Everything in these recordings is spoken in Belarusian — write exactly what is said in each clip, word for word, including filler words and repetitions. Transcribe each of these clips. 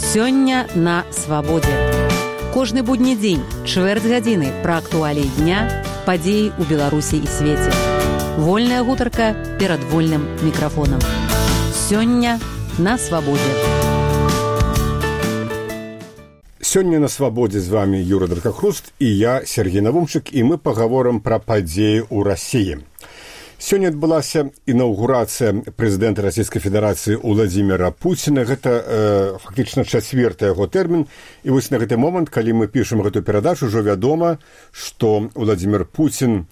Сёння на свабодзе. Кожны будні дзень, чвэрць гадзіны пра актуаліі дня, падзеі ў Беларусі і свеце. Вольная гутарка перад вольным мікрафонам. Сёння на свабодзе. Сёння на свабодзе з вами Юра Даркахруст і я, Сергей Навумчык, і мы пагаворым пра падзеі ў Расіі. Сёння адбылася інаўгурацыя прэзідэнта Расійскай Федэрацыі Уладзіміра Пуціна. Гэта э, фактычна чацвёрты яго тэрмін. І вось на гэты момант, калі мы пішам гэту перадачу, ўжо вядома, што Уладзімір Пуцін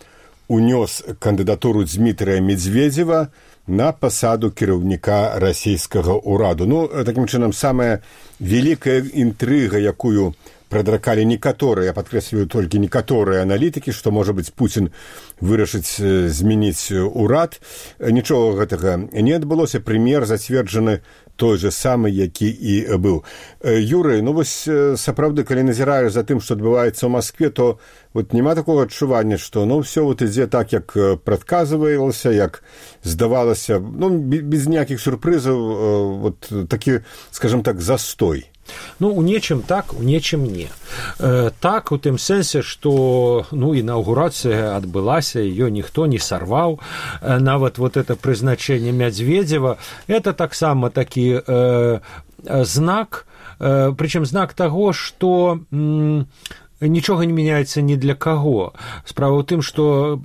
унёс кандыдатуру Дзмітрыя Медзведзева на пасаду кіраўніка расійскага ўраду. Ну, такім чынам, самая вялікая інтрыга, якую прадракалі некаторыя, я падкрэсліваю толькі некаторыя аналітыкі, што, можа быць, Пуцін вырашыць змяніць урад. Нічога гэтага не адбылося. Прэм'ер зацверджаны той же самы, які і быў. Юрый, ну вось сапраўды, калі назіраеш за тым, што адбываецца ў Маскве, то вот няма такога адчування, што ну ўсё вот ідзе так, як прадказвалася, як здавалася, ну без ніякіх сюрпрызаў, вот такі, скажем так, застой. Ну, у нечым так, у нечым не. Э, так, у тым сэнсе, што ну, інаўгурацыя адбылася, ее ніхто не сарваў. Э, нават вот это прызначэнне Медзведзева, это таксама такі э, знак, э, прычым знак таго, што м, нічога не мяняецца ні для каго. Справа ў тым, што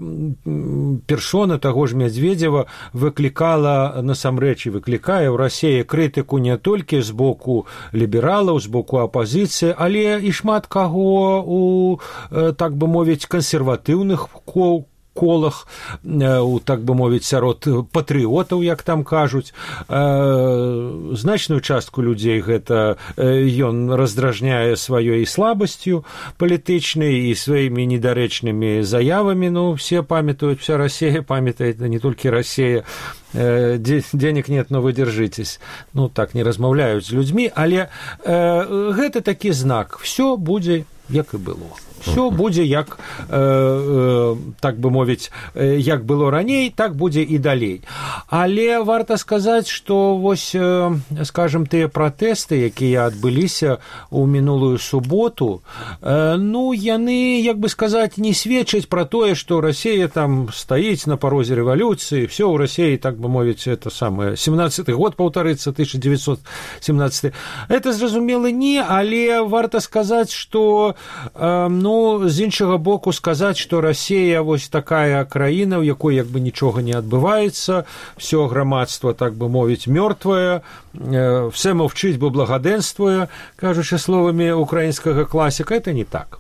персона таго ж Медзведзева выклікала, насамрэч, і выклікае ў Расіі крытыку не толькі з боку лібералаў, з боку апазіцыі, але і шмат каго у, так бы мовіць, кансерватыўных кол, колах, у, так бы мовіць, сярод патрыётаў, як там кажуць. Значную частку людзей гэта ён раздражняе сваёй слабасцю палітычнай і сваімі недарэчнымі заявамі. Ну, все памятаюць, вся Расія памятает, не толькі Расія, денег нет, но вы держитесь. Ну, так не размаўляюць з людзьмі, але гэта такі знак. Всё будзе, як і было. Все будзе як, э, э, так бы мовіць, э, як было раней, так будзе і далей. Але варта сказаць, што вось, э, скажем, тыя пратэсты, якія адбыліся ў мінулую суботу, э, ну, яны, як бы сказаць, не сведчаць пра тое, што Расія там стаіць на парозе рэвалюцыі, все ў Расіі, так бы мовіць, это самае, семнадцаты год паўтарыцца, тысяча девятьсот семнадцатый. Это, зразумела, не, але варта сказаць, што, э, ну, Ну, з іншага боку, сказаць, што Расія вось такая краіна, у якой як бы нічога не адбываецца, всё грамадства, так бы мовіць, мёртвае, э, все мовчыць, бо благадэнствуе, кажучы словамі украінскага класіка, это не так.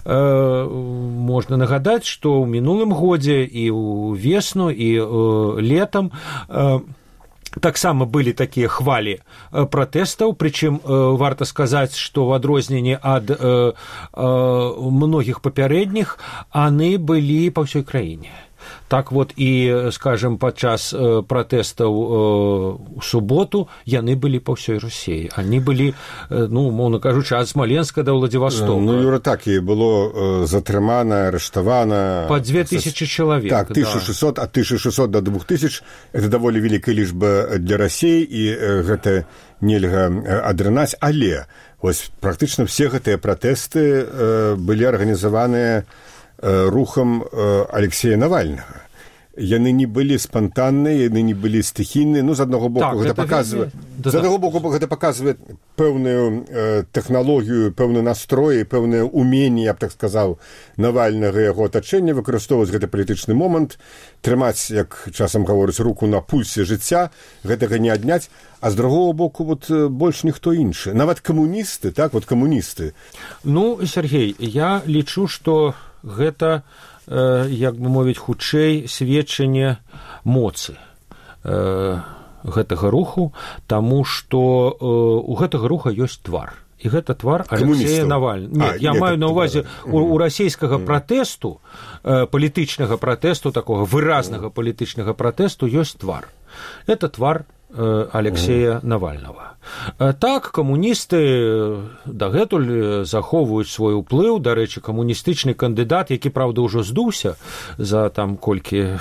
Э, можна нагадаць, што ў мінулым годзе і ў весну, і э, летам э, таксама былі такія хвалі пратэстаў, прычым э, варта сказаць, што ў адрозненне ад э, э, многіх папярэдніх, яны былі па ўсёй краіне. Так вот і, скажем, падчас э, пратэстаў э, у суботу яны былі па ўсёй Расіі. Они былі, э, ну, умоўна кажучы, ад Смоленска да Владивостока. Ну, Юра, так і было э, затрымана, арыштавана. Па две тысячи чалавек. Так, тысяча шестьсот, ад тысяча шестьсот до двух тысяч. Это даволі вялікая лічба для Расіі, і э, гэта нельга адрынаць. Але вось практычна все гэтыя пратэсты э, былі арганізаваныя рухам Алексея Навальнага. Яны не былі спантанныя, яны не былі стыхійныя. Ну, з аднаго боку, так, гэта паказвае, да, з аднаго боку, гэта паказвае пэўную э, тэхналогію, пэўны настрой, пэўнае уменне, я б так сказаў, Навальнага і яго атачэння, выкарыстоўваць гэты палітычны момант, трымаць, як часам гаворыць, руку на пульсе жыцця, гэтага не адняць. А з другого боку, вот, больш ніхто іншы. Нават камуністы, так, вот камуністы. Ну, Сергей, я лічу, што гэта, э, як бы мовіць, хутчэй сведчанне моцы э, гэтага руху, таму што э, у гэтага руха ёсць твар. І гэта твар Алексея Навальнага. Нет, а, я нет, маю на ўвазе у, у расійскага пратэсту, э, палітычнага пратэсту, такога выразнага палітычнага пратэсту ёсць твар. Это твар Алексея Навального. Так, камуністы дагэтуль захоўваюць свой уплыў. Дарэчы, камуністычны кандыдат, які, праўда, ўжо здуўся за там колькі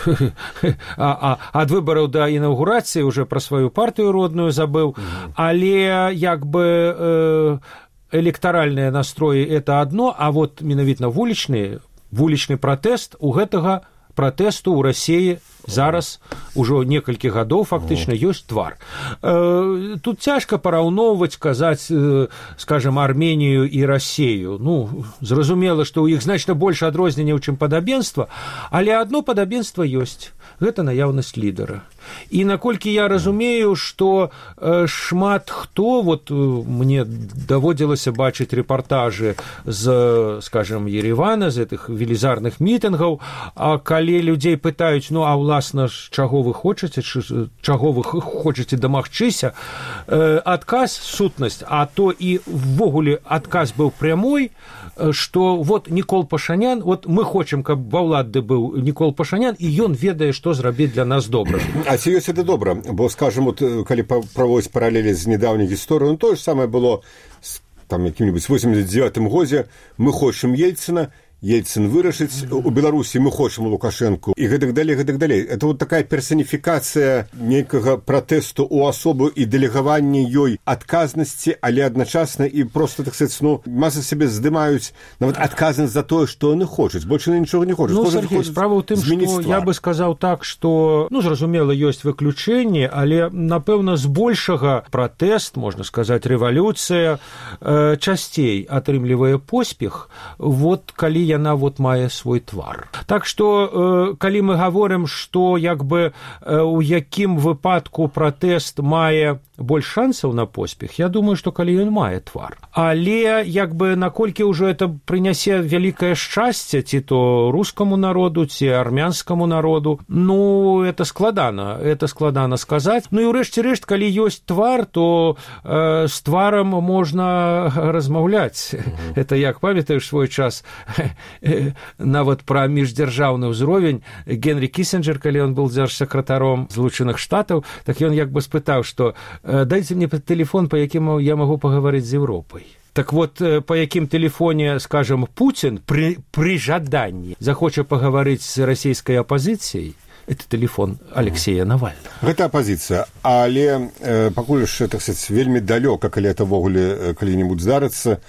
а, а, ад выбараў да інаўгурацыі, уже пра сваю партыю родную забыў, але як бы электаральныя настроі это адно, а вот менавіта вулічны вулічны пратэст у гэтага пратэсту ў Расіі зараз ужо некалькі гадоў фактычна ёсць твар. Тут цяжка параўноўваць, казаць, скажем, Арменію і Расію. Ну, зразумела, што ў іх значна больш адрозненняў, чым падабенства, але адно падабенства ёсць. Гэта наяўнасць лідара. І наколькі я разумею, што шмат хто, вот мне даводзілася бачыць рэпартажы з, скажем, Еревана, з гэтых велізарных мітынгаў, а калі людзей пытаюць, ну, а уласна ж, чаго вы хочаце, чаго вы хочаце дамагчыся, адказ, сутнасць, а то і ввогуле адказ быў прямой, што вот Нікол Пашанян, вот мы хочам, каб ва ўлады быў Нікол Пашанян, і ён ведае, што зрабіць для нас добра. А ці ёсць это добра? Бо, скажем, вот, калі праводзіць паралелі з нядаўняй гісторыяй, ну, тое ж самае было там якім-небудзь восемьдесят девятым годзе, мы хочам Ельцына, Ельцин вырашыць, у Беларусі мы хочам Лукашэнку, і гэтак далей, гэтак далей. Это вот такая персаніфікацыя нейкага пратэсту ў асобу і дэлегаванне ёй адказнасці, але адначасна і просто, так сказать, ну, маса сябе здымаюць нават адказнасць за тое, што яны хочуць. Больш яны нічога не хочуць. Ну, Сергей, справа ў тым, што я бы сказаў так, што, ну, зразумела, ёсць выключэнні, але, напэўна, збольшага пратэст, можна сказаць, рэвалюцыя, э, часцей атрымлівае поспех, вот калі яна вот мае свой твар. Так што, калі мы гаворым, што як бы у якім выпадку пратэст мае больш шансаў на поспех, я думаю, што калі ён мае твар. Але як бы наколькі ўжо это прынясе вялікае шчасце ці то рускаму народу, ці армянскаму народу, ну, это складана, это складана сказаць. Ну і ўрэшце рэшт, калі ёсць твар, то э, з тварам можна размаўляць. Mm-hmm. Это як памятаеш свой час нават пра міждзяржаўны ўзровень Генрі Кісінджер, калі ён быў дзяржсакратаром Злучаных Штатаў, так ён як бы спытаў, што дайце мне тэлефон, па якім я магу пагаварыць з Еўропай. Так вот, по якім тэлефоне, скажем, Путин при, при жаданні захоча пагаварыць з расійскай апазіцыяй, это тэлефон Алексея Навального. Гэта апазіцыя, але э, пакуль ж, так сказать, вельмі далёка, калі это ввогуле калі-небудзь здарыцца,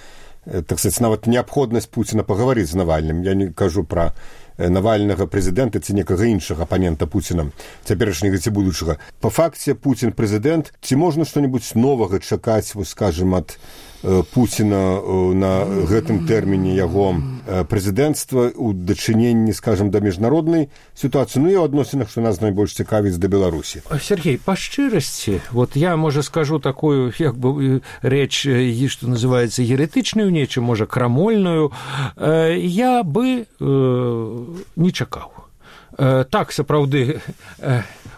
так сказать, нават неабходнасць Пуціна пагаварыць з Навальным. Я не кажу пра Навальнага прэзідэнта ці некага іншага апанента Пуціна, цяперашняга ці будучага. Па факце Пуцін прэзідэнт, ці можна што-небудзь новага чакаць, вось, скажем, ад Пуціна на гэтым тэрміне яго прэзідэнцтва ў дачыненні, скажем, да міжнароднай сітуацыі, ну і ў адносінах, што нас найбольш цікавіць да Беларусі. Сергей, па шчырасці, вот я, можа, скажу такую, як бы, рэч, што называецца еретычную, нечым, можа, крамольную, я бы не чакаў. Так, сапраўды,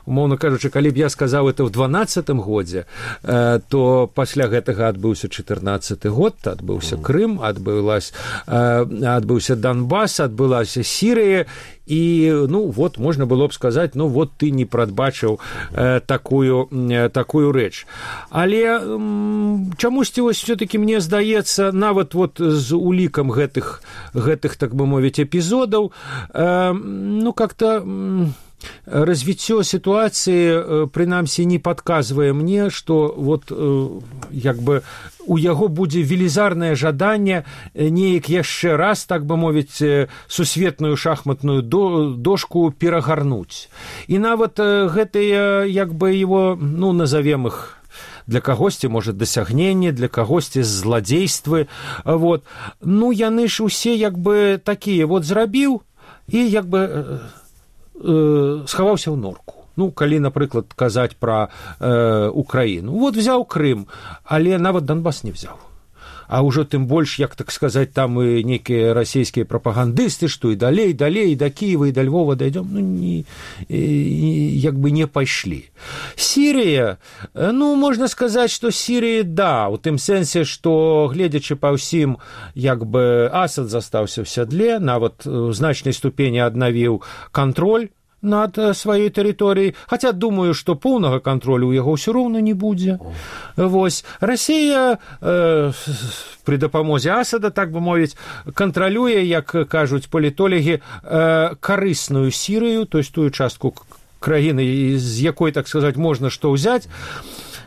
умоўна кажучы, калі б я сказаў это ў дванаццатым годзе, то пасля гэтага адбыўся чатырнаццаты год, адбыўся Крым, адбылась, адбыўся Донбас, адбылася Сірыя, і, ну, вот, можна было б сказаць, ну, вот ты не прадбачыў э, такую, э, такую рэч. Але м, чамусьці вось все-таки мне здаецца, нават вот з улікам гэтых, гэтых, так бы мовіць, эпізодаў, э, ну, как-то... М, развіццё сітуацыі, прынамсі, не падказвае мне, што вот як бы у яго будзе велізарнае жаданне неяк яшчэ раз, так бы мовіць, сусветную шахматную дошку перагарнуць. І нават гэтыя, як бы, его, ну, назовем іх, для кагосьці, можа, дасягненне, для кагосьці зладзействы, вот. Ну, яны ж усе, як бы, такія, вот, зрабіў, і, як бы, схаваўся ў норку. Ну, калі, напрыклад, казаць пра э, Украіну. Вот взяў Крым, але нават Донбас не взяў. А ўжо тым больш, як так сказаць, там і нейкія расійскія прапагандысты, што і далей, далей, і да Кіева, і да Львова дайдём, ну, не, як бы не пайшлі. Сірыя, ну, можна сказаць, што Сірыя, да, у тым сэнсе, што, гледзячы па ўсім, як бы Асад застаўся ў сядле, нават у значнай ступені аднавіў кантроль над сваёй тэрыторыяй, хаця думаю, што поўнага кантролю ў яго ўсё роўна не будзе. Вось. Расія э, пры дапамозе Асада, так бы мовіць, кантралюе, як кажуць палітолагі, э, карысную Сірыю, то есть тую частку краіны, з якой, так сказаць, можна што ўзяць.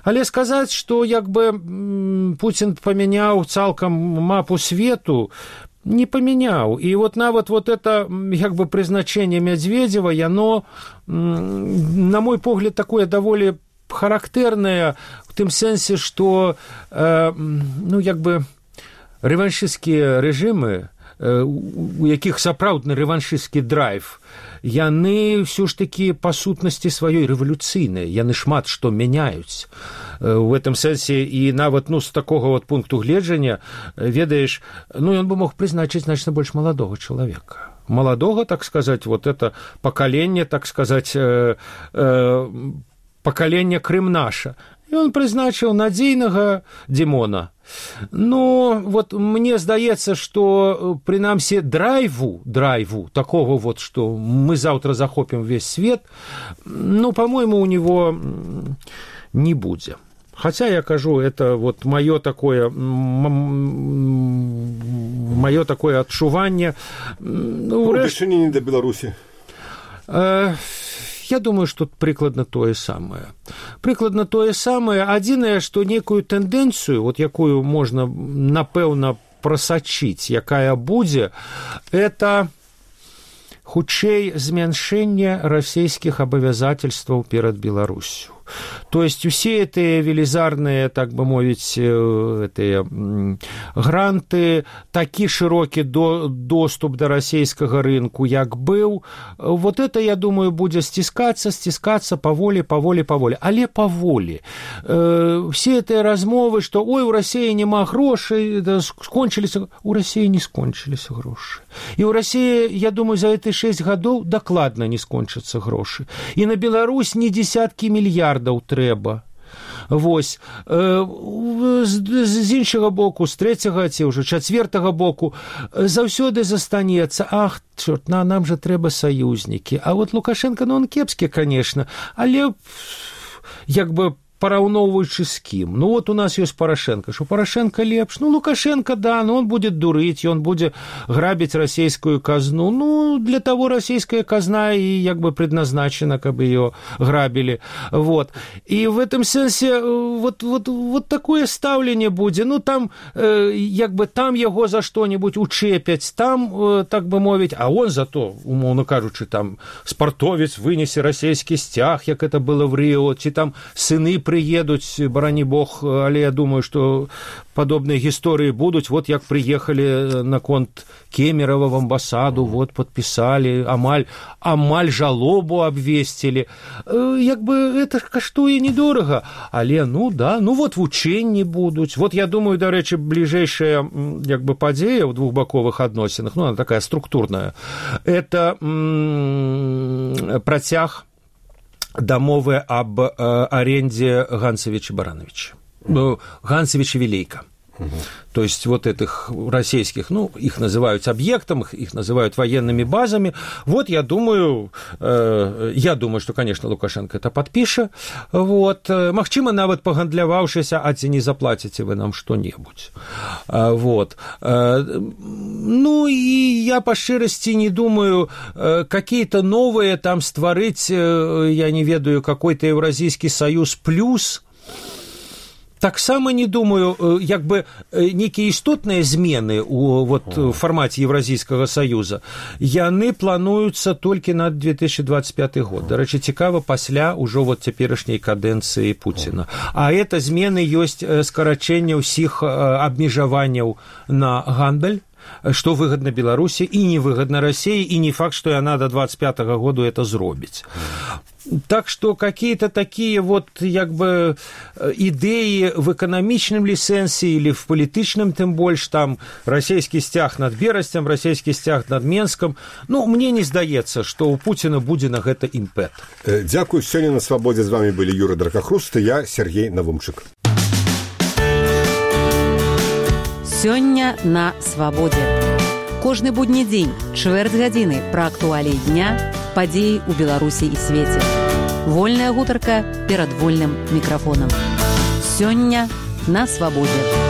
Але сказаць, што як бы Пуцін памяняў цалкам мапу свету, не памяняў. І вот нават вот это як бы прызначэнне Мядзведзева, яно, на мой погляд, такое даволі характэрнае в тым сэнсе, што э, ну як бы рэваншысцкія рэжымы, э, у якіх сапраўдны рэваншысцкі драйв, яны ўсё ж такі па сутнасці сваёй рэвалюцыйныя, яны шмат што мяняюць. У гэтым сэнсе і нават, ну, з такога вот пункту гледжання, ведаеш, ну, ён бы мог прызначыць значна больш маладога чалавека. Маладога, так сказаць, вот это пакаленне, так сказаць, э, э, пакаленне Крымнаша. І он прызначыў надзейнага Димона. Ну, вот мне здаецца, што, прынамсі, драйву, драйву, такого вот, что мы завтра захопим весь свет, ну, по-моему, у него не будзе. Хотя, я кажу, это вот моё такое, моё такое адчуванне. Ну, дачыненне да Беларусі. Э, Я думаю, што прыкладна тое самае. Прыкладна тое самае. Адзінае, што некую тэндэнцыю, вот якую можна, напэўна, прасачыць, якая будзе, это хутчэй змяншэнне расійскіх абавязательстваў перад Беларусю. То есть усе эти велизарные, так бы мовить, эти гранты, такі широкі до, доступ до российского рынку, як быў, вот это, я думаю, будзе стискаться, стискаться поволі, поволі, поволі. Але поволі. Э, все эти размовы, что ой, у России нема грошей, да, скончились, у России не скончились гроши. И у России, я думаю, за эти шесть годов докладно не скончатся гроши. И на Беларусь не десятки миллиардов трэба. Вось. З іншага боку, з трэцяга ці ўжо чацвертага боку заўсёды застанецца, ах, чорт, на, нам жа трэба саюзнікі. А вот Лукашенко, ну, он кепскі, конечно, але як бы параўноўваючы з кім. Ну, вот у нас ёсць Порошенко. Што Порошенко лепш? Ну, Лукашенко, да, но он будет дурыць, он будзе грабіць расійскую казну. Ну, для того расійская казна и як бы предназначена, каб ее грабили. Вот. И в этом сенсе вот, вот, вот такое стаўленне будзе. Ну, там, э, як бы там его за что-нибудь учепяць, там, э, так бы мовіць, а он зато, умоўно кажучы, там, спартовец вынесе расійскі сцяг, як это было в Рио, ці там сыны приедуць, барані бог, але я думаю, што падобныя гісторыі будуць. Вот як прыехалі на конт Кемерова в амбасаду, вот подписали, амаль, амаль жалобу абвесцілі. Як бы это каштуе недорага, але ну да, ну вот вучэнні будуць. Вот я думаю, дарэчы, бліжэйшая як бы падзея ў двухбаковых адносінах, ну она такая структурная, это м- працяг дамовы об э, аренде Ганцевича Барановича. Ну, Ганцевича Вилейка. Угу. То есть вот этих российских, ну, их называют объектом, их называют военными базами. Вот я думаю, э, я думаю, что, конечно, Лукашенко это подпишет. Вот. Магчыма, нават погандляваўшыся, а ці не заплатите вы нам что-нибудь. Э, вот. Э, ну, и я по шчырасці не думаю, э, какие-то новые там створить, э, я не ведаю, какой-то Евразийский союз плюс. Таксама не думаю, як бы некія істотныя змены у вот фармаце Евразійскага саюза, яны плануюцца толькі на две тысячи двадцать пятый год. Дарэчы, цікава, пасля ўжо вот цяперашняй кадэнцыі Пуціна. А это змены ёсць скарачэнне ўсіх абмежаванняў на гандаль, что выгодно Беларуси и невыгодно России, и не факт, что она до двадцать пятого года это зробіць. Так что какие-то такие вот як бы идеи в экономичном ли сенсе или в политичном, тем больше, там российский стяг над Берастем, российский стяг над Менском, ну, мне не здаецца, что у Путина будзе на гэта імпэт. Дзякуй, сёння на Свабодзе з вами былі Юра Дракахруст и я, Сергей Навумчык. Сёння на Свабодзе. Кожны будні дзень, чвэрць гадзіны пра актуаліі дня, падзеі ў Беларусі і свеце. Вольная гутарка перад вольным мікрафонам. Сёння на свабодзе.